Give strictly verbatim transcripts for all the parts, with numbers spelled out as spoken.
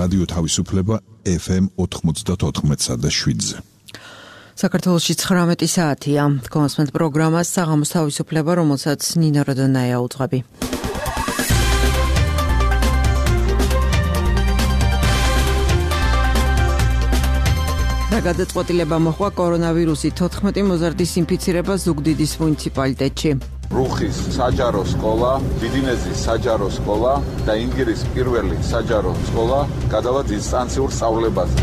რადიო თავისუფლება ეფ ემ ოთხმოცდაოთხ და შვიდზე. საქართველოში ცხრამეტი საათია. კონსმენტ პროგრამას საღამოს თავისუფლება, რომელსაც ნინო როდონაია უძღვები. და გადაწყვეტილება მოხდა კორონავირუსით თოთხმეტი მოზარდის ინფიცირება ზუგდიდის მუნიციპალიტეტში. რუხის საჯარო სკოლა, დიდინეზის საჯარო სკოლა და ინგირის პირველი საჯარო სკოლა გადავა დისტანციურ სწავლებაზე.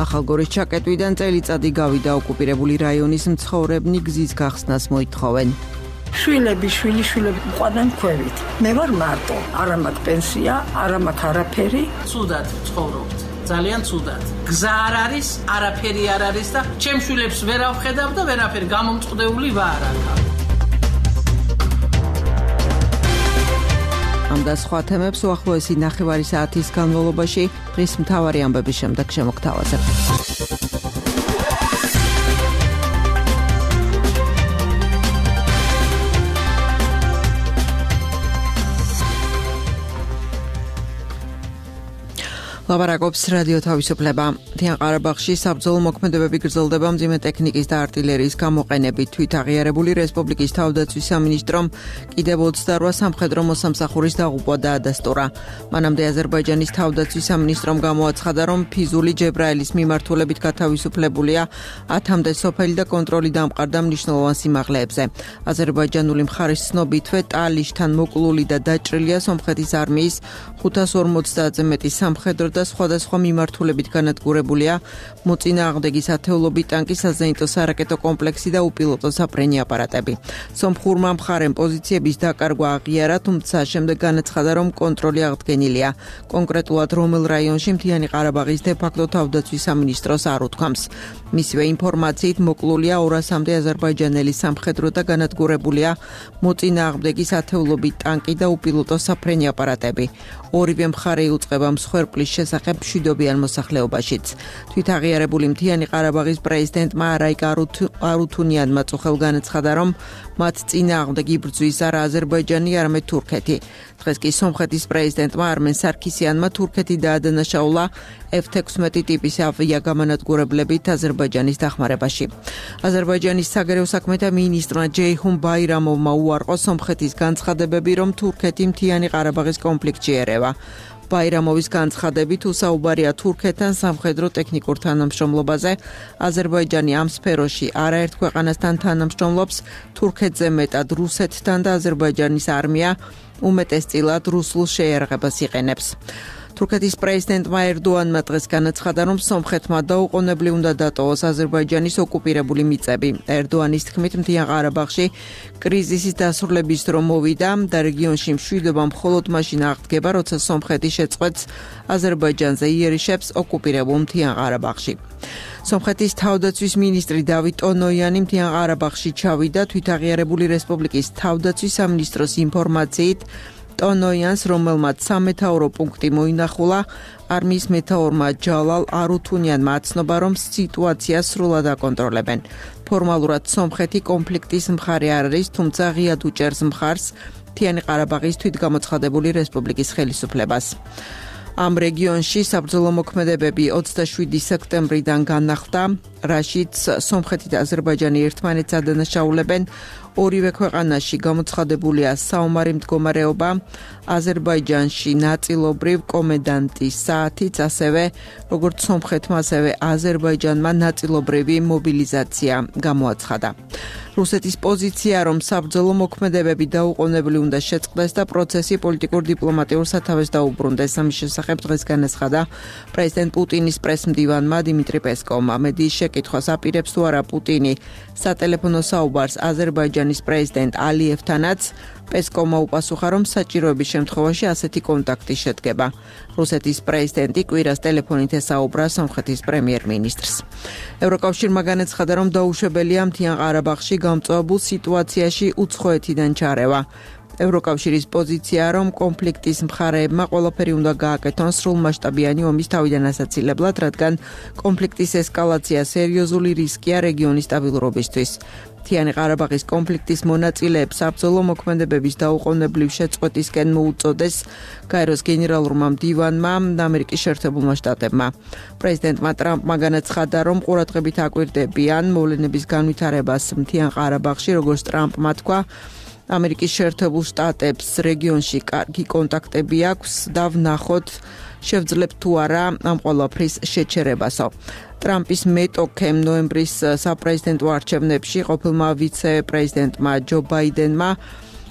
ახალგორის ჩაკეტვიდან წელიწადი გავიდა ოკუპირებული რაიონის მცხოვრებნი გზის გახსნას მოითხოვენ. შვილები, შვილი, შვილები ყვანან ქვევით. მე ვარ მარტო, არა მაქვს პენსია, არა მაქვს არაფერი. ცუდად ცხოვრობთ, ძალიან ცუდად. გზა არ არის, არაფერი არ არის და ჩემ შვილებს ვერ ავხედავ და ვერაფერი გამომწყდეული ვარ აქ. ამ და სხვა თემებს უახლოესი ნახევარი საათის განმავლობაში დღის მთავარი ამბების შემდეგ შემოგთავაზებთ. ლაპარაკობს რადიო თავისუფლება. მთიან ყარაბაღში საბრძოლო მოქმედებები გრძელდება მძიმე ტექნიკის და არტილერიის გამოყენებით. თვითაღიარებული რესპუბლიკის თავდაცვის სამინისტრომ კიდევ ოცდარვა სამხედრო მოსამსახურის დაღუპვა დაადასტურა. მანამდე აზერბაიჯანის თავდაცვის სამინისტრომ გამოაცხადა, რომ ფიზული ჯებრაელის მიმართულებით გათავისუფლებულია ათამდე სოფელი და კონტროლი დამყარდა მნიშვნელოვან სიმაღლეებზე. აზერბაიჯანული მხარის ცნობითვე ტალიშთან მოკლული და დაჭრილია სომხეთის არმიის ხუთას ორმოცდაათზე მეტი სამხედრო და სხვადასხვა მიმართულებით განადგურებულია მოწინააღმდეგის ათეულობით ტანკი, საზეიმო სარაკეტო კომპლექსი და უპილოტო საფრენი აპარატები. სომხურმა მხარემ პოზიციების დაკარგვა აღიარა, თუმცა შემდეგ განაცხადა, რომ კონტროლი აღდგენილია. კონკრეტულად რომელ რაიონში მთიანი ყარაბაღის დე-ფაქტო თავდაცვის სამინისტროს არ უთქვამს. მისივე ინფორმაციით მოკლულია ორასამდე აზერბაიჯანელი სამხედრო და განადგურებულია მოწინააღმდეგის ათეულობით ტანკი და უპილოტო საფრენი აპარატები. ორივე მხარე იუწყება მსხვერპლის შესახებ მშვიდობიან მოსახლეობაშიც. თვითაღიარებული მთიანი ყარაბაღის პრეზიდენტმა რაიკ არუთუნიანმა წუხელ განაცხადა, რომ მათ წინააღმდეგ იბრძვის არა აზერბაიჯანი, არამედ თურქეთი. დღეს კი სომხეთის პრეზიდენტმა არმენ სარქისიანმა თურქეთი დაადანაშაულა ეფ ექვსმეტი ტიპის ავიაგამანადგურებლებით აზერბაიჯანის დახმარებაში. აზერბაიჯანის საგარეო საქმეთა მინისტრმა ჯეიჰუნ ბაირამოვმა უარყო სომხეთის განცხადებები, რომ თურქეთი მთიანი ყარაბაღის კონფლიქტში ერევა. ბაირამოვის განცხადებით უსაუბარია თურქეთთან სამხედრო ტექნიკურ თანამშრომლობაზე. აზერბაიჯანი ამ სფეროში არაერთ ქვეყანასთან თანამშრომლობს, თურქეთზე მეტად რუსეთთან და აზერბაიჯანის არმია უმეტესწილად რუსულ შეიარაღებას იყენებს. თურქეთის პრეზიდენტმა ერდოანმა დღეს განაცხადა, რომ სომხეთმა დაუყოვნებლივ უნდა დატოვოს აზერბაიჯანის ოკუპირებული მიწები. ერდოანის თქმით, მთიან ყარაბაღში კრიზისის დასრულების დრო მოვიდა და რეგიონში მშვიდობა მხოლოდ მაშინ აღდგება, როცა სომხეთი შეწყვეტს აზერბაიჯანზე იერიშებს ოკუპირებულ მთიან ყარაბაღში. სომხეთის თავდაცვის მინისტრი დავით ტონოიანი მთიან ყარაბაღში ჩავიდა. თვითაღიარებული რესპუბლიკის თავდაცვის სამინისტროს ინფორმაციით, ტონოიანს, რომელმაც სამეთაურო პუნქტი მოინახულა, არმიის მეთაურმა ჯალალ არუთუნიანმა აცნობა, რომ სიტუაციას სრულად აკონტროლებენ. ფორმალურად სომხეთი კონფლიქტის მხარე არ არის, თუმცა ღიად უჭერს მხარს მთიანი ყარაბაღის თვითგამოცხადებული რესპუბლიკის ხელისუფლებას. ამ რეგიონში საბრძოლო მოქმედებები ოცდაშვიდი სექტემბრიდან განახლდა, რაშიც სომხეთი და აზერბაიჯანი ერთმანეთს ადანაშაულებენ. ორივე ქვეყანაში გამოცხადებულია საომარი მდგომარეობა, აზერბაიჯანში ნაწილობრივ კომენდანტის საათიც, ასევე როგორც სომხეთმა, ასევე აზერბაიჯანმა ნაწილობრივი მობილიზაცია გამოაცხადა. რუსეთის პოზიცია, რომ საბრძოლო მოქმედებები დაუყოვნებლივ უნდა შეწყდეს და პროცესი პოლიტიკურ დიპლომატიურ სათავეს დაუბრუნდეს. ამის შესახებ დღეს განაცხადა პრეზიდენტ პუტინის პრესმდივანმა დიმიტრი პესკოვმა. მედიის შეკითხვას აპირებს თუ არა პუტინი სატელეფონო საუბარს აზერბაიჯანის პრეზიდენტ ალიევთანაც, პესკოვმა უპასუხა, რომ საჭიროების შემთხვევაში ასეთი კონტაქტი შედგება. რუსეთის პრეზიდენტი კვირას ტელეფონით ესაუბრა სომხეთის პრემიერ-მინისტრს. ევროკავშირმა განაცხადა, რომ დაუშვებელია მთიან ყარაბაღში გამწვავებულ სიტუაციაში უცხოეთიდან ჩარევა. ევროკავშირის პოზიციაა, რომ კონფლიქტის მხარეებმა ყველაფერი უნდა გააკეთონ სრულმასშტაბიანი ომის თავიდან ასაცილებლად, რადგან კონფლიქტის ესკალაცია სერიოზული რისკია რეგიონის სტაბილურობისთვის. მთიანი ყარაბაღის კონფლიქტის მონაწილეებს საბრძოლო მოქმედებების დაუყოვნებლივ შეწყვეტისკენ მოუწოდეს გაეროს გენერალურმა მდივანმა და ამერიკის შეერთებულმა შტატებმა. პრეზიდენტმა ტრამპმა განაცხადა, რომ ყურადღებით აკვირდებიან მოვლენების განვითარებას მთიან ყარაბაღში, როგორც ტრამპმა თქვა, ამერიკის შეერთებულ შტატებს რეგიონში კარგი კონტაქტები აქვს და ვნახოთ შევძლებთ თუ არა ამ ყველაფრის შეჩერებასო. ტრამპის მეტოქემ ნოემბრის საპრეზიდენტო არჩევნებში ყოფილმა ვიცე-პრეზიდენტმა ჯო ბაიდენმა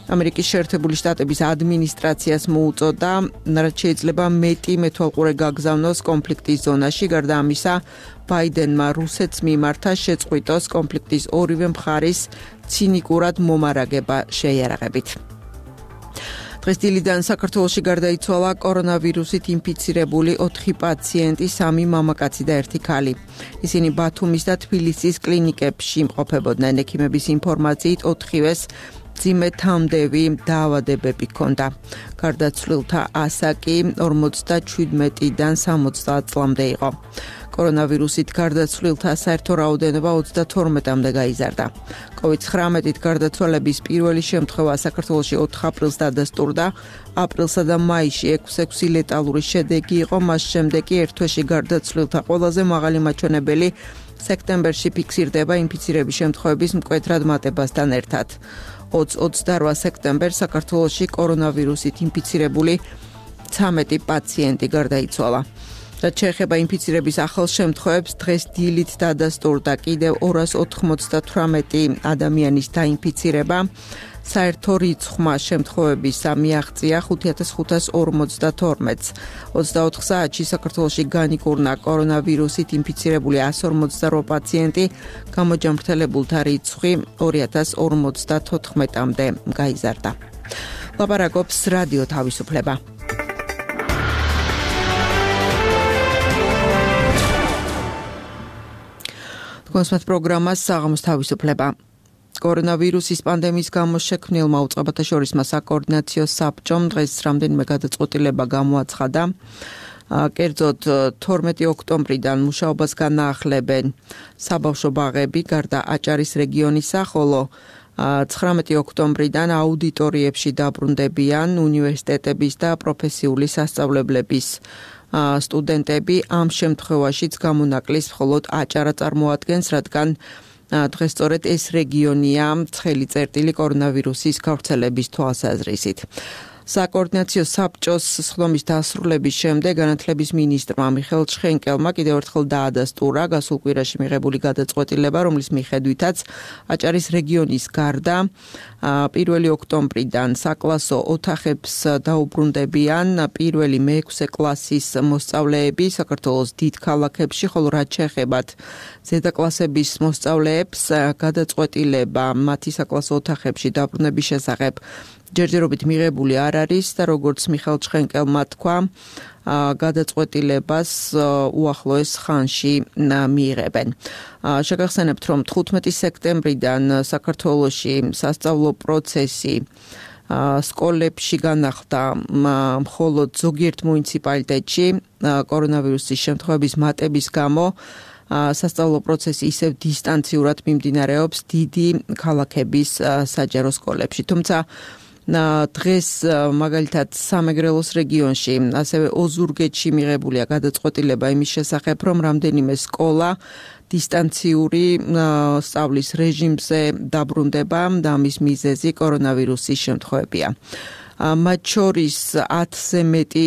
ამერიკის შეერთებული შტატების ადმინისტრაციას მოუწოდა, რაც შეიძლება მეტი მეთვალყურე გაგზავნოს კონფლიქტის ზონაში. გარდა ამისა, ბაიდენმა რუსეთს მიმართა შეწყვიტოს კონფლიქტის ორივე მხარის ცინიკურად მომარაგება შეიარაღებით. დღეს დილიდან საქართველოში გარდაიცვალა კორონავირუსით ინფიცირებული ოთხი პაციენტი, სამი მამაკაცი და ერთი ქალი. ისინი ბათუმის და თბილისის კლინიკებში იმყოფებოდნენ. ექიმების ინფორმაციით ოთხივეს მძიმე თამდევი დაავადებები ჰქონდა. გარდაცვლილთა ასაკი ორმოცდაჩვიდმეტიდან სამოცდაათ წლამდე იყო. კორონავირუსით გარდაცვლილთა საერთო რაოდენობა ოცდათორმეტამდე გაიზარდა. კოვიდ ცხრამეტით გარდაცვალების პირველი შემთხვევა საქართველოში ოთხ აპრილს დადასტურდა. აპრილსა და მაისში ექვსი ლეტალური შედეგი იყო, მას შემდეგ კი ერთ თვეში გარდაცვლილთა ყველაზე მაღალი მაჩვენებელი სექტემბერში ფიქსირდება ინფიცირების შემთხვევების მკვეთრად მატებასთან ერთად. ოცდაოთხ სექტემბერს საქართველოში კორონავირუსით ინფიცირებული ცამეტი პაციენტი გარდაიცვალა. რაც შეეხება ინფიცირების ახალ შემთხვევებს, დღეს დილით დადასტურდა კიდევ ორას ოთხმოცდათვრამეტი ადამიანის დაინფიცირება. საერთო რიცხვმა შემთხვევებისა მიაღწია ხუთ ათას ხუთას ორმოცდათორმეტს. ოცდაოთხ საათში საქართველოში განიკურნა კორონავირუსით ინფიცირებული εκατს ორმოცდაოთხ პაციენტი, გამოჯამრთელებულთა რიცხვი ორი ათას ორმოცდათოთხმეტამდე გაიზარდა. ლაპარაკობს რადიო თავისუფლება. კონსმეთ პროგრამას საღამოს თავისუფლება. კორონავირუსის პანდემიის გამო შექმნილმა უწყებათა შორისმა საკოორდინაციო საბჭომ დღეს რამდენიმე გადაწყვეტილება გამოაცხადა. კერძოდ თორმეტი ოქტომბრიდან მუშაობას განაახლებენ საბავშვო ბაღები გარდა აჭარის რეგიონისა, ხოლო ცხრამეტი ოქტომბრიდან აუდიტორიებში დაბრუნდებიან უნივერსიტეტების და პროფესიული სასწავლებლების სტუდენტები. ამ შემთხვევაშიც გამონაკლის მხოლოდ აჭარა წარმოადგენს, რადგან დღეს სწორედ ეს რეგიონია ცხელი წერტილი კორონავირუსის გავრცელების თვალსაზრისით. საკოორდინაციო საბჭოს სხდომის დასრულების შემდეგ განათლების მინისტრმა მიხეილ ჩხენკელმა კიდევ ერთხელ დაადასტურა გასულ კვირაში მიღებული გადაწყვეტილება, რომლის მიხედვითაც აჭარის რეგიონის გარდა პირველი ოქტომბრიდან საკლასო ოთახებს დაუბრუნდებიან პირველი მეექვსე კლასის მოსწავლეები საქართველოს დიდ ქალაქებში, ხოლო რაც შეეხებათ ზედაკლასების მოსწავლეებს გადაწყვეტილება მათი საკლასო ოთახებში დაბრუნების შესახებ ჯერჯერობით მიღებული არ არის და როგორც მიხეილ ჩხენკელმა თქვა, გადაწყვეტილებას უახლოეს ხანში მიიღებენ. შეგახსენებთ, რომ თხუთმეტი სექტემბრიდან საქართველოში სასწავლო პროცესი სკოლებში განახლდა მხოლოდ ზოგიერთ მუნიციპალიტეტში კორონავირუსის შემთხვევების მატების გამო. სასწავლო პროცესი ისევ დისტანციურად მიმდინარეობს დიდი ქალაქების საჯარო სკოლებში. თუმცა დღეს მაგალითად სამეგრელოს რეგიონში, ასევე ოზურგეთში მიღებულია გადაწყვეტილება იმის შესახებ, რომ რამდენიმე სკოლა დისტანციური სწავლის რეჟიმზე დაბრუნდება და ამის მიზეზი კორონავირუსის შემთხვევებია. მათ შორის ათზე მეტი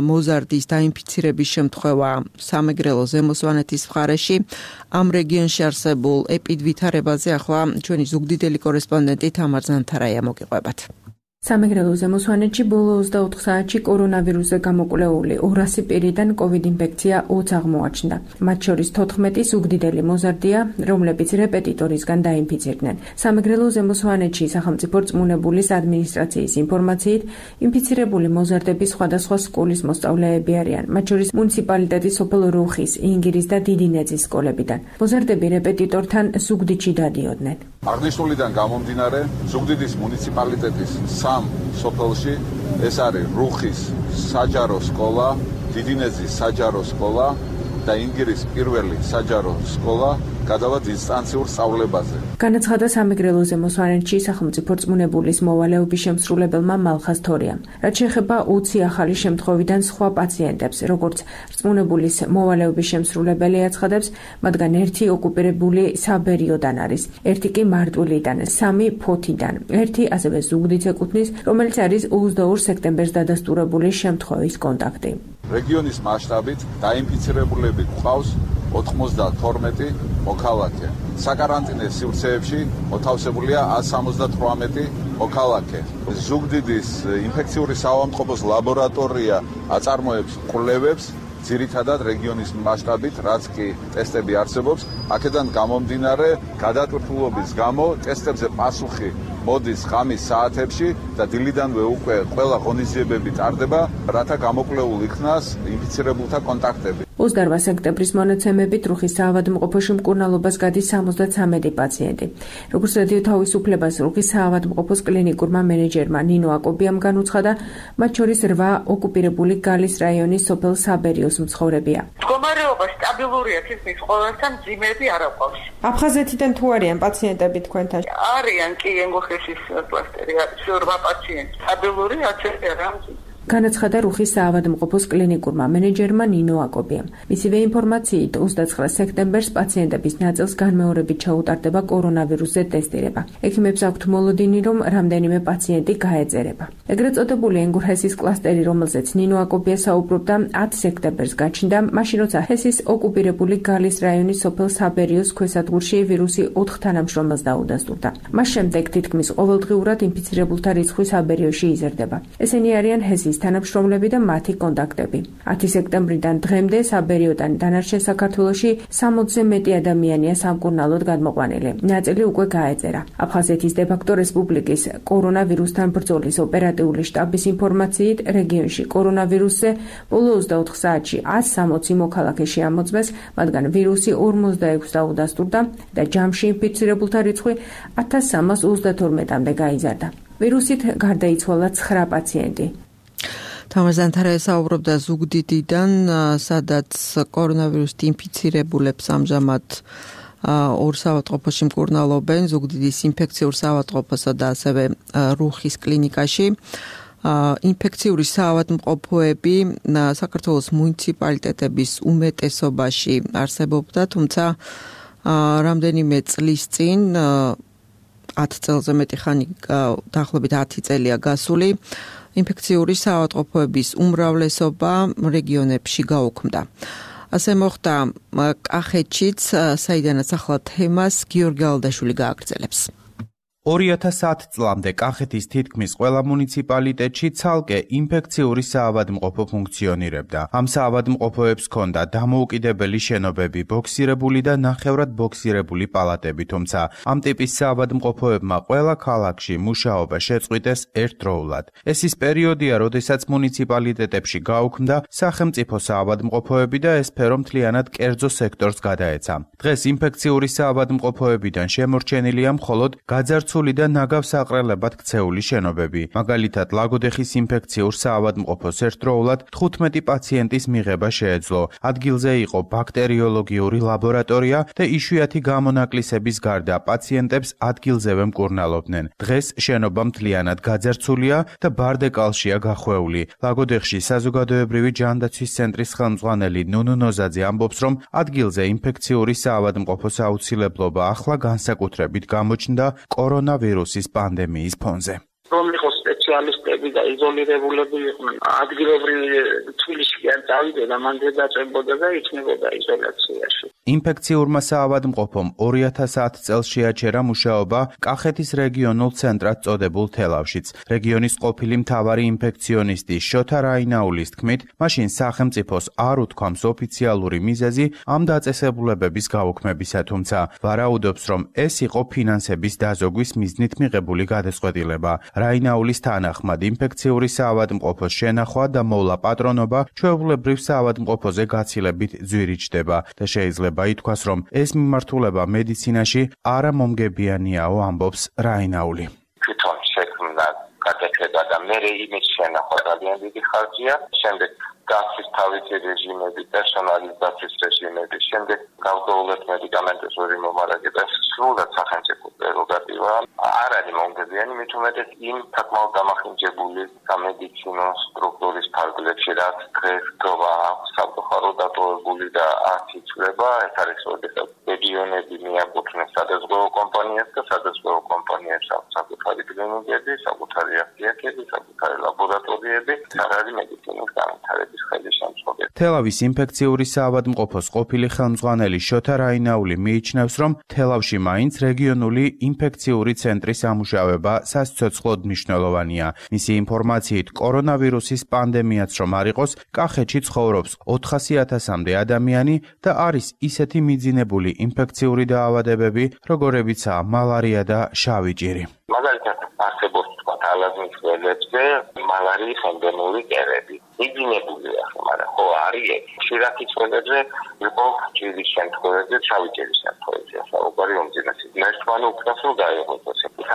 მოზარდის დაინფიცირების შემთხვევა სამეგრელო ზემო სვანეთის მხარეში. ამ რეგიონში არსებულ ეპიდვითარებაზე ახლა ჩვენი ზუგდიდელი კორესპონდენტი თამარ ზანთარაია მოგიყვებათ. სამეგრელო ზემო სვანეთში ბოლო ოცდაოთხ საათში კორონავირუსზე გამოკვლეული ორასი პირიდან კოვიდ ინფექცია ოც აღმოაჩნდა. მათ შორის თოთხმეტი ზუგდიდელი მოზარდია, რომლებიც რეპეტიტორისგან დაინფიცირდნენ. სამეგრელო ზემო სვანეთში სახელმწიფო რწმუნებულის ადმინისტრაციის ინფორმაციით, ინფიცირებული მოზარდები სხვადასხვა სკოლის მოსწავლეები არიან, მათ შორის მუნიციპალიტეტის სოფელ რუხის, ინგირის და დიდი ნეძის სკოლებიდან. მოზარდები რეპეტიტორთან ზუგდიდში დადიოდნენ. აღნიშნულიდან გამომდინარე, ზუგდიდის მუნიციპალიტეტის ამ სოფელში ეს არის რუხის საჯარო სკოლა, დიდინეზის საჯარო სკოლა და ინგირის პირველი საჯარო სკოლა გადავა დისტანციურ სწავლებაზე. განაცხადა სამეგრელოზე მოსვანეთში სახელმწიფო რწმუნებულის მოვალეობის შემსრულებელმა მალხაზ თორიამ. რაც შეეხება ოცი ახალი შემთხვევიდან სხვა პაციენტებს, როგორც რწმუნებულის მოვალეობის შემსრულებელი აცხადებს, მათგან ერთი ოკუპირებული საბერიოდან არის, ერთი კი მარტვილიდან, სამი ფოთიდან, ერთი ასევე ზუგდიდს ეკუთვნის, რომელიც არის ოცდაორ სექტემბერს დადასტურებული შემთხვევის კონტაქტი. რეგიონის მასშტაბით დაინფიცირებულები გვყავს ოთხმოცდათორმეტი მოქალაქე. საკარანტინო სივრცეებში მოთავსებულია ათს სამოცდათვრამეტი მოქალაქე. ზუგდიდის ინფექციური საავადმყოფოს ლაბორატორია აწარმოებს კვლევებს ძირითადად რეგიონის მასშტაბით, რაც კი ტესტები არსებობს, აქედან გამომდინარე გადატვირთულობის გამო ტესტებზე პასუხი მოდის ღამის საათებში და დილიდანვე უკვე ყველა ღონისძიებები ტარდება, რათა გამოკვლეულ იქნას ინფიცირებულთა კონტაქტები. ოცდაორ სექტემბრის მონაცემებით რუხის საავადმყოფოში მკურნალობას გადის სამოცდათვრამეტი პაციენტი. როგორც რადიო თავისუფლებას რუხის საავადმყოფოს კლინიკურმა მენეჯერმა ნინო აკობიამ განუცხადა, მათ შორის რვა ოკუპირებული გალის რაიონის სოფელ საბერიოს მცხოვრებია. მდგომარეობა სტაბილურია, თითქმის ყველასთან ძიმები არ აყვავს. აფხაზეთიდან თუ არიან პაციენტები თქვენთან? არიან კი ენგოხეშის კლასტერი არის რვა პაციენტი. სტაბილური აცერტი არ ამძი. განაცხადა რუხის საავადმყოფოს კლინიკურმა მენეჯერმა ნინო აკობიამ. მისივე ინფორმაციით ოცდაცხრა სექტემბერს პაციენტების ნაწილს განმეორებით ჩაუტარდება კორონავირუსზე ტესტირება. ექიმებს აქვთ მოლოდინი, რომ რამდენიმე პაციენტი გაეწერება. ეგრეთ წოდებული ენგურჰესის კლასტერი, რომელზეც ნინო აკობია საუბრობდა, ათი სექტემბერს გაჩნდა, მაშინ როცა ჰესის ოკუპირებული გალის რაიონის სოფელ საბერიოს ქვესადგურში ვირუსი ოთხ თანამშრომელს დაუდასტურდა. მას შემდეგ თითქმის ყოველდღიურად ინფიცირებულთა რიცხვი საბერიოში იზრდება. ესენი არიან ჰესის თანამშრომლები და მათი კონტაქტები. ათი სექტემბრიდან დღემდე საბერიოდან დანარჩენ საქართველოში სამოცზე მეტი ადამიანია სამკურნალოდ გადმოყვანილი. ნაწილი უკვე გაეწერა. აფხაზეთის დე-ფაქტო რესპუბლიკის კორონავირუსთან ბრძოლის ოპერატიული შტაბის ინფორმაციით, რეგიონში კორონავირუსზე ბოლო ოცდაოთხ საათში ათს სამოცი მოქალაქე შეამოწმეს, მათგან ვირუსი ორმოცდაექვსს დაუდასტურდა და ჯამში ინფიცირებულთა რიცხვი ათას სამას ოცდათორმეტამდე გაიზარდა. ვირუსით გარდაიცვალა ცხრა პაციენტი. თამარ ზანთარაია საუბრობდა ზუგდიდიდან, სადაც კორონავირუსით ინფიცირებულებს ამჟამად ორ საავადმყოფოში მკურნალობენ, ზუგდიდის ინფექციურ საავადმყოფოსა და ასევე რუხის კლინიკაში. ინფექციური საავადმყოფოები საქართველოს მუნიციპალიტეტების უმეტესობაში არსებობდა, თუმცა რამდენიმე წლის წინ ათ წელზე მეტი ხანი დაახლოებით ათი წელია გასული, ინფექციური საავადმყოფოების უმრავლესობა რეგიონებში გაუქმდა. ასე მოხდა კახეთშიც, საიდანაც ახლა თემას გიორგი ალდაშვილი გააგრძელებს. ორი ათას ათი წლამდე კახეთის თითქმის ყველა მუნიციპალიტეტში ცალკე ინფექციური საავადმყოფო ფუნქციონირებდა. ამ საავადმყოფოებს ჰქონდა დამოუკიდებელი შენობები, ბოქსირებული და ნახევრად ბოქსირებული პალატები, თუმცა ამ ტიპის საავადმყოფოებმა ყველა ქალაქში მუშაობა შეწყვიტეს ერთდროულად. ეს ის პერიოდია, როდესაც მუნიციპალიტეტებში გაუქმდა სახელმწიფო საავადმყოფოები და ეს სფერო მთლიანად კერძო სექტორს გადაეცა. დღეს ინფექციური საავადმყოფოებიდან შემორჩენილია მხოლოდ გაძარცვული და ნაგავსაყრელებად ქცეული შენობები. მაგალითად, ლაგოდეხის ინფექციურ საავადმყოფოს ერთდროულად თხუთმეტი პაციენტის მიღება შეეძლო. ადგილზე იყო ბაქტერიოლოგიური ლაბორატორია და იშვიათი გამონაკლისების გარდა პაციენტებს ადგილზევე მკურნალობდნენ. დღეს შენობა მთლიანად გაძარცვულია და ბარდეკალშია გახვეული. ლაგოდეხში საზოგადოებრივი ჯანდაცვის ცენტრის ხელმძღვანელი ნუნუ ნოზაძე ამბობს, რომ ადგილზე ინფექციური საავადმყოფოს აუცილებლობა ახლა განსაკუთრებით გამოჩნდა კორონავირუსის პანდემიის ფონზე. რომ იყო სპეციალისტები და იზოლირებულები იყვნენ, ადგილობრივი თბილისში არ წავიდა, მანდ დაწვებოდა და იქნებოდა იზოლაციაში. ინფექციურმა საავადმყოფომ ორი ათას ათი წელს შეაჩერა მუშაობა კახეთის რეგიონულ ცენტრად წოდებულ თელავშიც. რეგიონის ყოფილი მთავარი ინფექციონისტი შოთა რაინაულის თქმით, მაშინ სახელმწიფოს არ უთქვამს ოფიციალური მიზეზი ამ დაწესებულებების გაუქმებისა, თუმცა ვარაუდობს, რომ ეს იყო ფინანსების დაზოგვის მიზნით მიღებული გადაწყვეტილება. რაინაულის თანახმად ინფექციური საავადმყოფოს შენახვა და მოვლა პატრონობა ჩვეულებრივ საავადმყოფოზე გაცილებით ძვირიჭდება და შეიძლება ითქვას, რომ ეს მიმართულება მედიცინაში არა მომგებიანიაო, ამბობს რაინაული. თვითონ შექმნა გადაწყვეტილება მერე იმის შენახვა ძალიან დიდი ხარჯია, შემდეგ გასის თავისი რეჟიმები, პერსონალის გასის რეჟიმები, შემდეგ გავდოულეთ მედიკამენტებს ორი მომარაგება, სრულად სახელმწიფო პრეროგატივა. არ არის მომგებიანი, მით უმეტეს იმ საკმაოდ დამახინჯებული სამედიცინო სტრუქტურის ფარგლებში, რაც დღეს გვა სამწუხარო დატოვებული და არ იცვლება, ეს არის როდესაც რეგიონები მიაკუთვნეს სადაზღვევო კომპანიებს და სადაზღვევო კომპანიებს აქვს საკუთარი კლინიკები, საკუთარი აფთიაქები, საკუთარი ლაბორატორიები, არ არის მედიცინის განვითარების ხელისშემწყობი. თელავის ინფექციური საავადმყოფოს ყოფილი ხელმძღვანელი შოთა რაინაული მიიჩნევს, რომ თელავში მაინც რეგიონული ინფექციური ცენტრის ამუშავება სასიცოცხლოდ მნიშვნელოვანია. მისი ინფორმაციით, კორონავირუსის პანდემიაც რომ არ იყოს, კახეთში ცხოვრობს ოთხასი ათასამდე ადამიანი და არის ისეთი მიძინებული ინფექციური დაავადებები, როგორებიცაა მალარია და შავი ჭირი. მაგალითად, არსებობს თქვა ალაზნის ველებზე მალარიის ენდემური კერები. მიძინებულია, მაგრამ ხო არის ხშირად იწვევებზე იყო ჭირის შემთხვევებზე, შავი ჭირის შემთხვევებზე, საუბარი უმძიმესი. ერთმანუ უკრას რომ დაიღოს.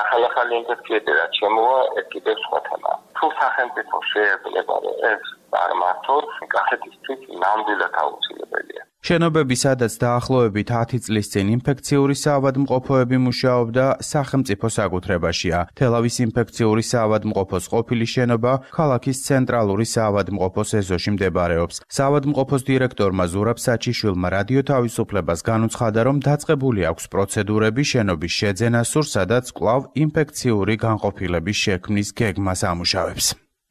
ახალ-ახალი ინფექციები რაც შემოვა, ეს კიდევ სხვა თემაა. თუ სახელმწიფო შეეძლება ეს არ მართოს, კახეთისთვის ნამდვილად აუცილებელია. შენობები, სადაც დაახლოებით ათი წლის წინ ინფექციური საავადმყოფოები მუშაობდა, სახელმწიფო საკუთრებაშია. თელავის ინფექციური საავადმყოფოს ყოფილი შენობა ქალაქის ცენტრალური საავადმყოფოს ეზოში მდებარეობს. საავადმყოფოს დირექტორმა ზურაბ საჩიშვილმა რადიო თავისუფლებას განუცხადა, რომ დაწყებული აქვს პროცედურები შენობის შეძენას, სადაც კვლავ ინფექციური განყოფილების შექმნის გეგმას ამუშავებს.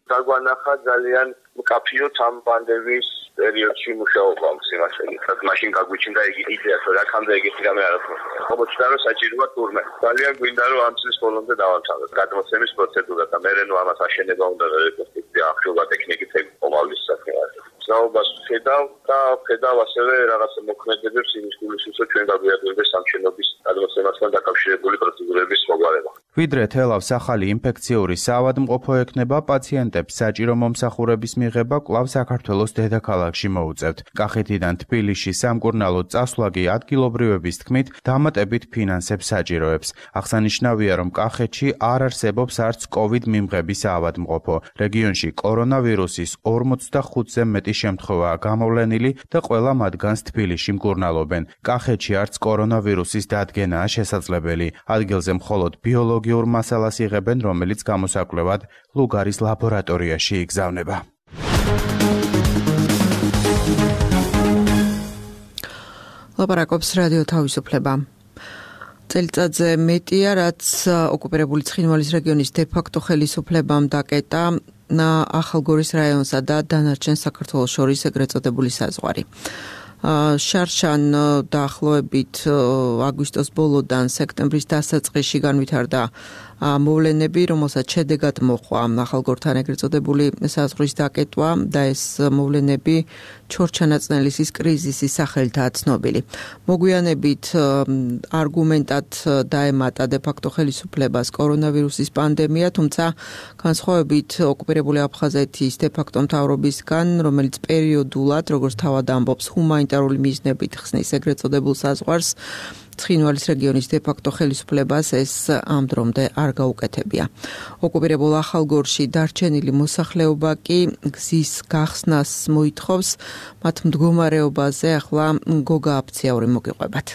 დაგვანახა ძალიან მკაფიოდ ამ პანდემიის პერიოდში მუშაობა სიმართლე. მაშინ გაგვიჩნდა იგი იდეა, რომ რაკამდე ეგეთი რამე არ აქვს. ხობოჩდა რომ საჭიროა თურმე. ძალიან გვინდა რომ ამ წლის ბოლომდე დავამთავროთ გადმოცემის პროცედურა და მერე ნუ ამას აშენება უნდა რეკონსტრუქცია, ახშობა ტექნიკით ეკომავლის საქმეა. საუბარს ხედავ და ხედავ ასევე რაღაცა მოქმედებებს იმის გულისხმობს, რომ ჩვენ გაგვიადვილდეს სამშენობის გადმოცემასთან დაკავშირებული პროცედურების მოგვარება. ვიდრე თელავს ახალი ინფექციური საავადმყოფო ექნება, პაციენტებს საჭირო მომსახურების მიღება კვლავ საქართველოს დედაქალაქში მოუწევთ. კახეთიდან თბილისში სამკურნალოდ წასვლა კი ადგილობრივების თქმით დამატებით ფინანსებს საჭიროებს. აღსანიშნავია, რომ კახეთში არ არსებობს არც კოვიდ მიმღების საავადმყოფო. რეგიონში კორონავირუსის ორმოცდახუთზე მეტი შემთხვევაა გამოვლენილი და ყველა მათგანს თბილისში მკურნალობენ. კახეთში არც კორონავირუსის დადგენაა შესაძლებელი. ადგილზე მხოლოდ ბიოლოგიურ მასალას იღებენ, რომელიც გამოსაკვლევად ლუგარის ლაბორატორიაში იგზავნება. ლაპარაკობს რადიო თავისუფლება. წელიწადზე მეტია, რაც ოკუპირებული ცხინვალის რეგიონის დე-ფაქტო ხელისუფლებამ დაკეტა ახალგორის რაიონსა და დანარჩენ საქართველოს შორის ეგრეთ წოდებული საზღვარი. შარშან დაახლოებით აგვისტოს ბოლოდან სექტემბრის დასაწყისში განვითარდა მოვლენები, რომელსაც შედეგად მოჰყვა ახალგორთან ეგრეთ წოდებული საზღვრის დაკეტვა და ეს მოვლენები ჩორჩანაწნელისის კრიზისის სახელითაა ცნობილი. მოგვიანებით არგუმენტად დაემატა დე-ფაქტო ხელისუფლებას კორონავირუსის პანდემია, თუმცა განსხვავებით ოკუპირებული აფხაზეთის დე-ფაქტო მთავრობისგან, რომელიც პერიოდულად, როგორც თავად ამბობს, ჰუმანიტარული მიზნებით ხსნის ეგრეთ წოდებულ საზღვარს, ცხინვალის რეგიონის დე-ფაქტო ხელისუფლებას ეს ამ დრომდე არ გაუკეთებია. ოკუპირებულ ახალგორში დარჩენილი მოსახლეობა კი გზის გახსნას მოითხოვს, მათ მდგომარეობაზე ახლა გოგა აფციაური მოგიყვებათ.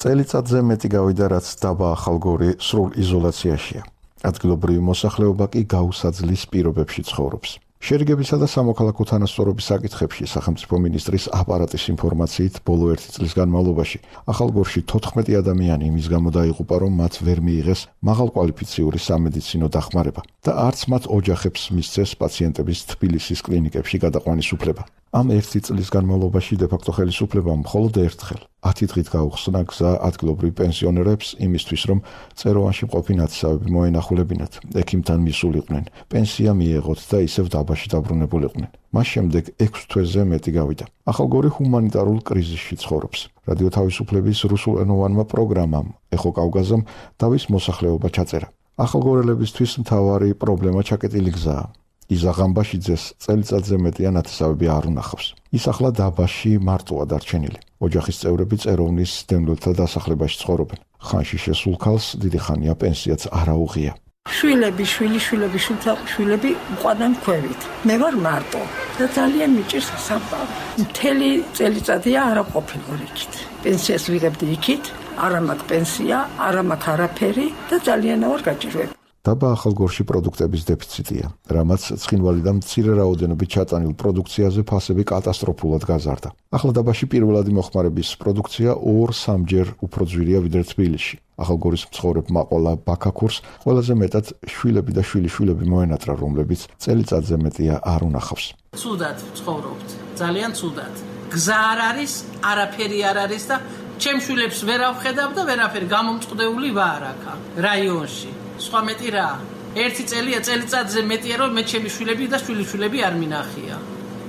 წელიწადზე მეტი გავიდა, რაც დაბა ახალგორი სრულ იზოლაციაშია. ადგილობრივი მოსახლეობა კი გაუსაძლის პირობებში ცხოვრობს. შერიგებისა და სამოქალაქო თანასწორობის საკითხებში სახელმწიფო მინისტრის აპარატის ინფორმაციით ბოლო ერთი წლის განმავლობაში ახალგორში თოთხმეტი ადამიანი იმის გამო დაიღუპა, რომ მათ ვერ მიიღეს მაღალკვალიფიციური სამედიცინო დახმარება და არც მათ ოჯახებს მისცეს პაციენტების თბილისის კლინიკებში გადაყვანის უფლება. ამ ერთი წლის განმავლობაში დე-ფაქტო ხელისუფლებამ მხოლოდ ერთხელ ათი დღით გაუხსნა გზა ადგილობრივ პენსიონერებს იმისთვის, რომ წეროვანში მყოფი ნათესავები მოენახულებინათ, ექიმთან მისულიყვნენ, პენსია მიეღოთ და ისევ დაბაში დაბრუნებულიყვნენ. მას შემდეგ ექვს თვეზე მეტი გავიდა. ახალგორი ჰუმანიტარულ კრიზისში ცხოვრობს. რადიო თავისუფლების რუსულენოვანმა პროგრამამ ეხო კავკაზამ დავის მოსახლეობა ჩაწერა. ახალგორელებისთვის მთავარი პრობლემა ჩაკეტილი გზაა. იზაღამბაშიძეს წელიწადზე მეტია ნათესავები არ უნახავს. ის ახლა დაბაში მარტოა დარჩენილი. ოჯახის წევრები წეროვნის დემლოთა დასახლებაში ცხოვრობენ. ხანში შესულ ქალს დიდი ხანია პენსიაც არ აუღია. შვილები, შვილი, შვილები, შვილები მყვანან ქვევით. მე ვარ მარტო და ძალიან მიჭირს სამყარო. მთელი წელიწადია არა ყოფილი იქით. პენსიას ვიღებდი იქით, არა მაქვს პენსია, არა მაქვს არაფერი და ძალიან ვარ გაჭირვებული. დაბა ახალგორში პროდუქტების დეფიციტია, რამაც ცხინვალი და მცირე რაოდენობით ჩატანილ პროდუქციაზე ფასები კატასტროფულად გაზარდა. ახლა დაბაში პირველადი მოხმარების პროდუქცია ორ-სამჯერ უფრო ძვირია ვიდრე თბილისში. ახალგორის მცხოვრებმა ყოლა ბაქაქურს ყველაზე მეტად შვილები და შვილიშვილები მოენატრა, რომლებიც წელიწადზე მეტია არ უნახავს. ცუდად ცხოვრობთ, ძალიან ცუდად. გზა არ არის, არაფერი არ არის და ჩემ შვილებს ვერ ავხედავ და ვერაფერი გამომწყდეული ვარ აქა რაიონში. სხვა მეტი რა, ერთი წელია წელიწადზე მეტია რომ მე ჩემი შვილები და შვილიშვილები არ მინახია.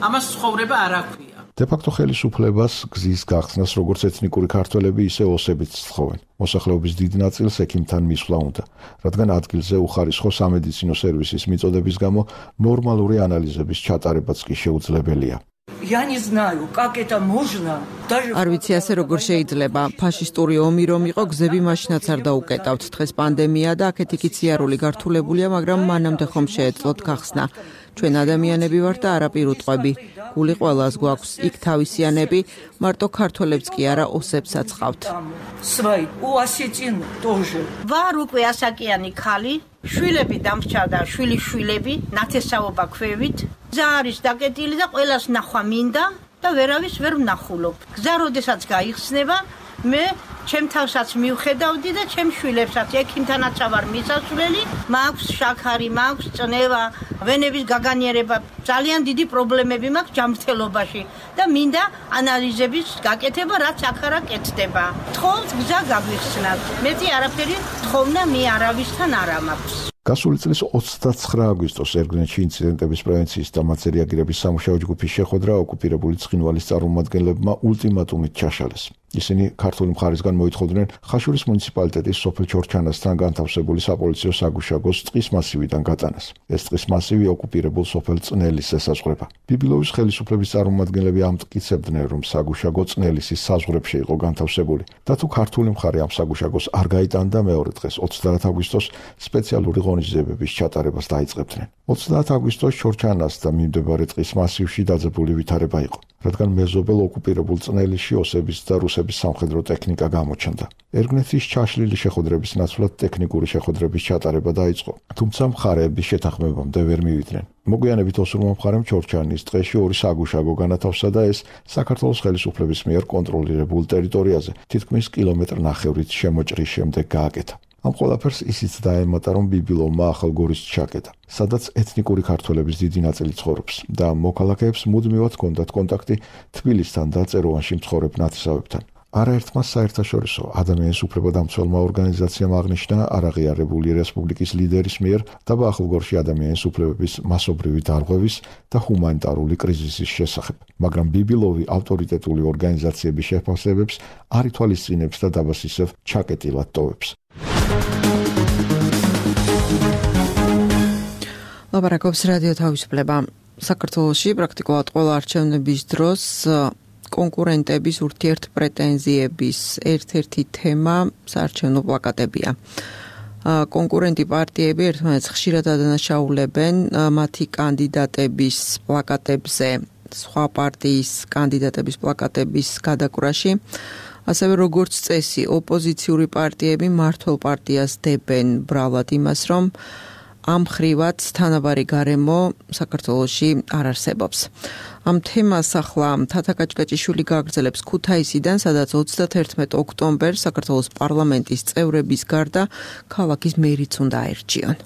ამას ცხოვრება არ აქვია. დე-ფაქტო ხელისუფლებას გზის გახსნას როგორც ეთნიკური ქართველები, ისე ოსებიც სთხოვენ. მოსახლეობის დიდ ნაწილს ექიმთან მისვლა უნდა, რადგან ადგილზე უხარისხო სამედიცინო სერვისის მიწოდების გამო ნორმალური ანალიზების ჩატარებაც კი შეუძლებელია. Я не знаю, как это можно. არ ვიცი ასე როგორ შეიძლება. ფაშისტური ომი რომ იყო, გზები მაშინაც არ დაუკეტავთ. დღეს პანდემია და აქეთ იქით სიარული გართულებულია, მაგრამ მანამდე ხომ შეეძლოთ გახსნა. ჩვენ ადამიანები ვართ და არა პირუტყვები. გული ყველას გვაქვს. იქ თავისიანები, მარტო ქართველებს კი არა, ოსებსაც ყავთ. Свой, у осетин тоже. ვარ უკვე ასაკიანი ხალი, შვილები დამრჩა და შვილიშვილები, ნათესაობა ქვევით. გზა არის დაკეტილი და ყველას ნახვა მინდა და ვერავის ვერ ვნახულობ. გზა როდესაც გაიხსნება, მე ჩემ თავსაც მივხედავდი და ჩემ შვილებსაც ექიმთანაც ვარ მისასვლელი, მაქვს შაქარი, მაქვს წნევა, ვენების გაგანიერება, ძალიან დიდი პრობლემები მაქვს ჯანმრთელობაში და მინდა ანალიზების გაკეთება, რაც აქ არა კეთდება. თხოვთ გზა გაგვიხსნათ. მეტი არაფერი თხოვნა მე არავისთან არ მაქვს. გასული წლის ოცდაცხრა აგვისტოს ერგნეთში ინციდენტების პრევენციის და მათზე რეაგირების სამუშაო ჯგუფის შეხვედრა ოკუპირებული ცხინვალის წარმომადგენლებმა ულტიმატუმით ჩაშალეს. ისინი ქართული მხარისგან მოითხოვდნენ ხაშურის მუნიციპალიტეტის სოფელ ჩორჩანასთან განთავსებული საპოლიციო საგუშაგოს ტყის მასივიდან გატანას. ეს ტყის მასივი ოკუპირებულ სოფელ წნელის ესაზღვრება. ბიბილოვის ხელისუფლების წარმომადგენლები ამტკიცებდნენ, რომ საგუშაგო წნელისის საზღვრებში იყო განთავსებული და თუ ქართული მხარე ამ საგუშაგოს არ გაიტანდა, მეორე დღეს ოცდაათ აგვისტოს სპეციალური ღონისძიებების ჩატარებას დაიწყებდნენ. ოცდაათ აგვისტოს ჩორჩანას და მიმდებარე ტყის მასივში დაძაბული ვითარება იყო, რადგან მეზობელ ოკუპირებულ წნელისში ოსების და რუსების სამხედრო ტექნიკა გამოჩნდა. ერგნეთის ჩაშლილი შეხვედრების ნაცვლად ტექნიკური შეხვედრების ჩატარება დაიწყო, თუმცა მხარეების შეთანხმებამდე ვერ მივიდნენ. მოგვიანებით ოსურმა მხარემ ჩორჩანის ტყეში ორი საგუშაგო განათავსა და ეს საქართველოს ხელისუფლების მიერ კონტროლირებულ ტერიტორიაზე თითქმის კილომეტრნახევრით შემოჭრის შემდეგ გააკეთა. ამ ყველაფერს ისიც დაემატა, რომ ბიბილოვმა ახალგორის ჩაკეტა, სადაც ეთნიკური ქართველების დიდი ნაწილი ცხოვრობს და მოქალაქეებს მუდმივად ჰქონდათ კონტაქტი თბილისთან და წეროვანში მცხოვრებ ნათესავებთან. არაერთმა საერთაშორისო ადამიანის უფლებადამცველმა ორგანიზაციამ აღნიშნა არაღიარებული რესპუბლიკის ლიდერის მიერ დაბა ახალგორში ადამიანის უფლებების მასობრივი დარღვევის და ჰუმანიტარული კრიზისის შესახებ, მაგრამ ბიბილოვი ავტორიტეტული ორგანიზაციების შეფასებებს არ ითვალისწინებს და დაბას ისევ ჩაკეტილად ტოვებს. ლაპარაკობს რადიო თავისუფლება. საქართველოში პრაქტიკულად ყველა არჩევნების დროს კონკურენტების ურთიერთპრეტენზიების ერთ-ერთი თემა საარჩევნო პლაკატებია. კონკურენტი პარტიები ერთმანეთს ხშირად ადანაშაულებენ მათი კანდიდატების პლაკატებზე, სხვა პარტიის კანდიდატების პლაკატების გადაკვრაში. ასევე როგორც წესი, ოპოზიციური პარტიები მმართველ პარტიას დებენ ბრალად იმას, რომ ამ ხრივად თანაბარი გარემო საქართველოში არ არსებობს. ამ თემას ახლა თათა კაჭკაჭიშვილი გააგრძელებს ქუთაისიდან, სადაც ოცდაათერთმეტ ოქტომბერს საქართველოს პარლამენტის წევრების გარდა ქალაქის მერიც უნდა აერჩიონ.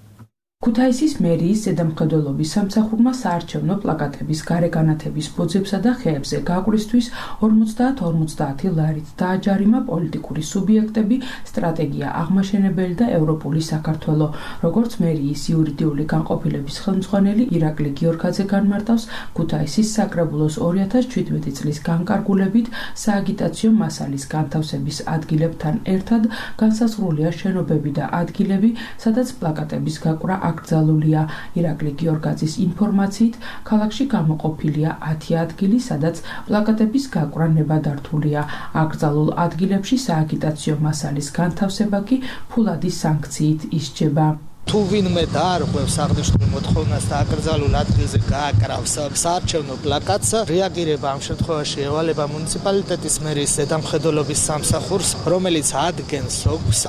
ქუთაისის მერიის ზედამხედველობის სამსახურმა საარჩევნო პლაკატების გარეგანათების ბოძებსა და ხეებზე გაკვრისთვის ორმოცდაათ ორმოცდაათი ლარით დააჯარიმა პოლიტიკური სუბიექტები, სტრატეგია აღმაშენებელი და ევროპული საქართველო. როგორც მერიის იურიდიული განყოფილების ხელმძღვანელი ირაკლი გიორგაძე განმარტავს, ქუთაისის საკრებულოს ორი ათას ჩვიდმეტი წლის განკარგულებით სააგიტაციო მასალის განთავსების ადგილებთან ერთად განსაზღვრულია შენობები და ადგილები, სადაც პლაკატების გაკვრა აკრძალულია. ირაკლი გიორგაძის ინფორმაციით, ქალაქში გამოყოფილია ათი ადგილი, სადაც პლაკატების გაკვრა ნებადართულია. აკრძალულ ადგილებში სააგიტაციო მასალის განთავსება კი ფულადი სანქციით ისჯება. თუ ვინმე დაარღვევს აღნიშნულ მოთხოვნას და აკრძალულ ადგილზე გააკრავს საარჩევნო პლაკატს, რეაგირება ამ შემთხვევაში ევალება მუნიციპალიტეტის მერის ზედამხედველობის სამსახურს, რომელიც ადგენს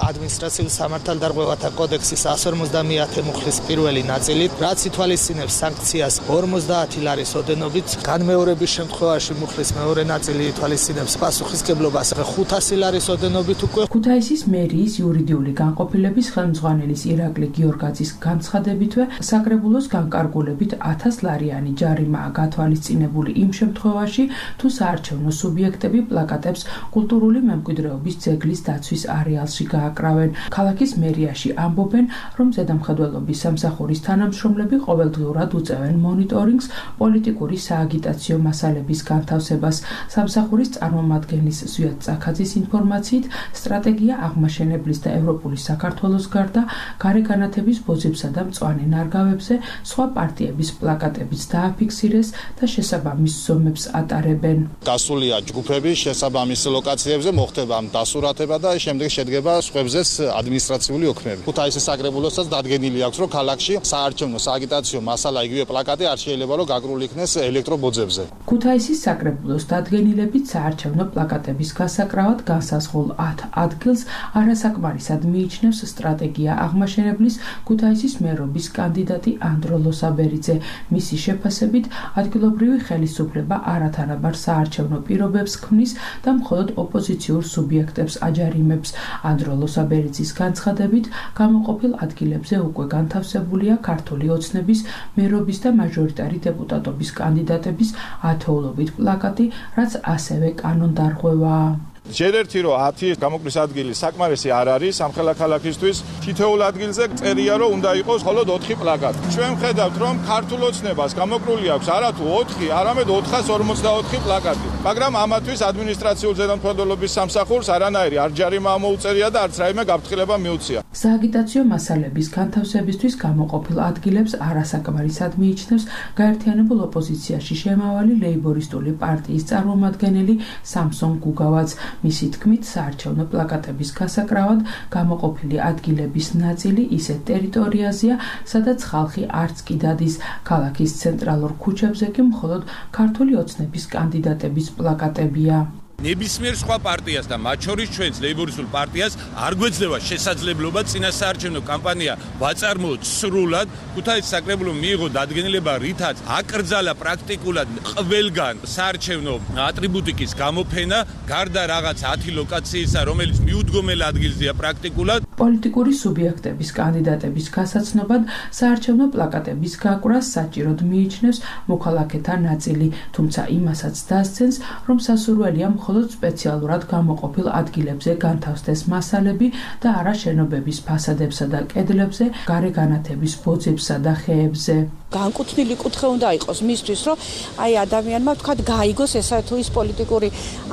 ადმინისტრაციულ სამართალდარღვევათა კოდექსის εκατს ორმოცდამეათე მუხლის პირველი ნაწილი, რაც ითვალისწინებს სანქციას ორმოცდაათი ლარის ოდენობით, განმეორების შემთხვევაში მუხლის მეორე ნაწილი ითვალისწინებს პასუხისმგებლობას ხუთასი ლარის ოდენობით უკვე. ქუთაისის მერიის იურიდიული განყოფილების ხელმძღვანელის ირაკლი გიორგაძის განცხადებითვე საკრებულოს განკარგულებით ათას ლარიანი ჯარიმაა გათვალისწინებული იმ შემთხვევაში, თუ საარჩევნო სუბიექტები პლაკატებს კულტურული მემკვიდრეობის ძეგლის დაცვის არეალში გააკრავენ. ქალაქის მერიაში ამბობენ, რომ ზედამხედველობის სამსახურის თანამშრომლები ყოველდღიურად უწევენ მონიტორინგს პოლიტიკური სააგიტაციო მასალების განთავსებას. სამსახურის წარმომადგენლის ზვიად წაქაძის ინფორმაციით, სტრატეგია აღმაშენებლის და ევროპული საქართველოს გარდა გარეგანათების ბოძებსა და მწვანე ნარგავებზე სხვა პარტიების პლაკატებიც დააფიქსირეს და შესაბამის ზომებს ატარებენ. გასულია ჯგუფები შესაბამის ლოკაციებზე, მოხდება დასურათება და შემდეგ შედგება სხვებზეც ადმინისტრაციული ოქმები. ქუთაისის საკრებულოსაც დადგენილი აქვს, რომ ქალაქში საარჩევნო სააგიტაციო მასალა იგივე პლაკატი არ შეიძლება რომ გაკრული იქნეს ელექტრობოძებზე. ქუთაისის საკრებულოს დადგენილებით საარჩევნო პლაკატების გასაკრავად განსაზღვრულ ათ ადგილს არასაკმარისად მიიჩნევს სტრატეგია აღმაშენებლის ქუთაისის მერობის კანდიდატი ანდრო ლოსაბერიძე. მისი შეფასებით, ადგილობრივი ხელისუფლება არათანაბარ საარჩევნო პირობებს ქმნის და მხოლოდ ოპოზიციურ სუბიექტებს აჯარიმებს. ანდრო ლოსაბერიძის განცხადებით, გამოყოფილ ადგილებზე უკვე განთავსებულია ქართული ოცნების, მერობის და მაჟორიტარი დეპუტატობის კანდიდატების ათეულობით პლაკატი, რაც ასევე კანონდარღვევაა. ჯერ ერთი რომ ათი გამოკვლის ადგილი საკმარისი არ არის სამხელა ქალაქისთვის, თითოეულ ადგილზე წერია რომ უნდა იყოს მხოლოდ ოთხი პლაკატი. ჩვენ ვხედავთ რომ ქართულ ოცნებას გამოკვლული აქვს არათუ ოთხი, არამედ ოთხას ორმოცდაოთხი პლაკატი. მაგრამ ამათვის ადმინისტრაციულ ზედამხედველობის სამსახურს არანაირი არ ჯარიმა მოუწერია და არც რაიმე გაფრთხილება მიუწია. სააგიტაციო მასალების განთავსებისთვის გამოყოფილ ადგილებს არასაკმარისად მიიჩნევს გაერთიანებულ ოპოზიციაში შემავალი ლეიბორისტული პარტიის წარმომადგენელი სამსონ გუგავაც. მისი თქმით, საარჩევნო პლაკატების გასაკრავად გამოყოფილი ადგილების ნაწილი ისეთ ტერიტორიაზეა, სადაც ხალხი არც კი დადის. ქალაქის ცენტრალურ ქუჩებზე კი მხოლოდ ქართული ოცნების კანდიდატების პლაკატებია. ნებისმიერ სხვა პარტიას და მათ შორის ჩვენს ლეიბორისტულ პარტიას არ გვეძლევა შესაძლებლობა წინასაარჩევნო კამპანია ვაწარმოოთ სრულად. ქუთაისის საკრებულომ მიიღო დადგენილება, რითაც აკრძალა პრაქტიკულად ყველგან საარჩევნო ატრიბუტიკის გამოფენა, გარდა რაღაც ათი ლოკაციისა, რომელიც მიუდგომელ ადგილზეა პრაქტიკულად. პოლიტიკური სუბიექტების კანდიდატების გასაცნობად საარჩევნო პლაკატების გაკვრას საჭიროდ მიიჩნევს მოქალაქეთა ნაწილი, თუმცა იმასაც დასცენს, რომ სასურველია მხოლოდ სპეციალურად გამოყოფილ ადგილებზე განთავსდეს მასალები და არა შენობების ფასადებსა და კედლებზე, გარეგანათების ბოძებსა და ხეებზე. განკუთვნილი კუთხე უნდა იყოს მისთვის, რომ აი ადამიანმა თქვა გაიგოს ესა თუ ის პოლიტიკური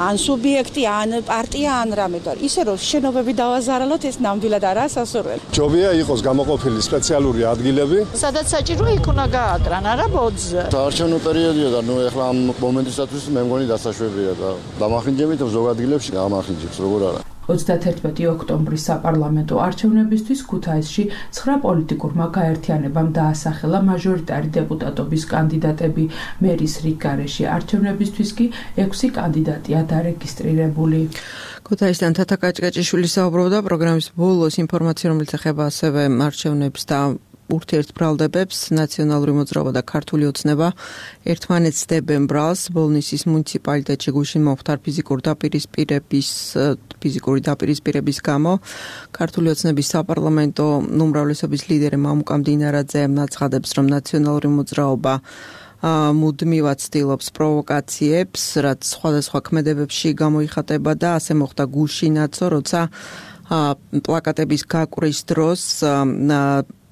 ან სუბიექტი, ან პარტია, ან რამე და ისე რომ შენობები დავაზარალოთ, ეს ნამდვილად არაა სასურველი. ჯობია იყოს გამოყოფილი სპეციალური ადგილები, სადაც საჭირო იქ უნდა გააკრან, არა ბოძზე. საარჩევნო პერიოდია და ნუ ეხლა ამ მომენტისათვის მე მგონი დასაშვებია და დამახინჯებით ზოგ ადგილებში გამახინჯებს, როგორ არა. ოცდათერთმეტი ოქტომბრის საპარლამენტო არჩევნებისთვის ქუთაისში ცხრა პოლიტიკურმა გაერთიანებამ დაასახელა მაჟორიტარი დეპუტატობის კანდიდატები. მერის რიგგარეში არჩევნებისთვის კი ექვსი კანდიდატია დარეგისტრირებული. ქუთაისთან თათა კაჭკაჭიშვილი საუბრობდა პროგრამის ბოლოს ინფორმაცია, რომელიც ეხება ასევე არჩევნებს და ურთიერთბრალდებებს. ნაციონალური მოძრაობა და ქართული ოცნება ერთმანეთს დებენ ბრალს. ბოლნისის მუნიციპალიტეტში გუშინ მომხდარ ფიზიკური დაპირისპირების ფიზიკური დაპირისპირების გამო ქართული ოცნების საპარლამენტო უმრავლესობის ლიდერი მამუკა მდინარაძე აცხადებს, რომ ნაციონალური მოძრაობა მუდმივად ცდილობს პროვოკაციებს, რაც სხვადასხვა ქმედებებში გამოიხატება და ასე მოხდა გუშინაცო, როცა პლაკატების გაკვრის დროს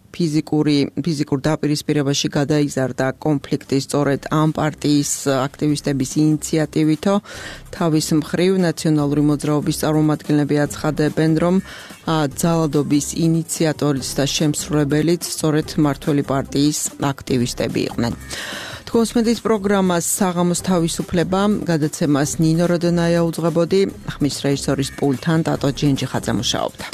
ფიზიკური ფიზიკურ დაპირისპირებაში გადაიზარდა კონფლიქტი სწორედ ამ პარტიის აქტივისტების ინიციატივითო. თავის მხრივ ნაციონალური მოძრაობის წარმომადგენლები აცხადებენ, რომ ძალადობის ინიციატორიც და შემსრულებელიც სწორედ მმართველი პარტიის აქტივისტები იყვნენ. თქოსმენდის პროგრამას საღამოს თავისუფლება გადაცემას ნინო როდონაია უძღვებოდი, ხმის რეჟისორის პულტთან ტატო ჯენჯიხაძე მუშაობდა.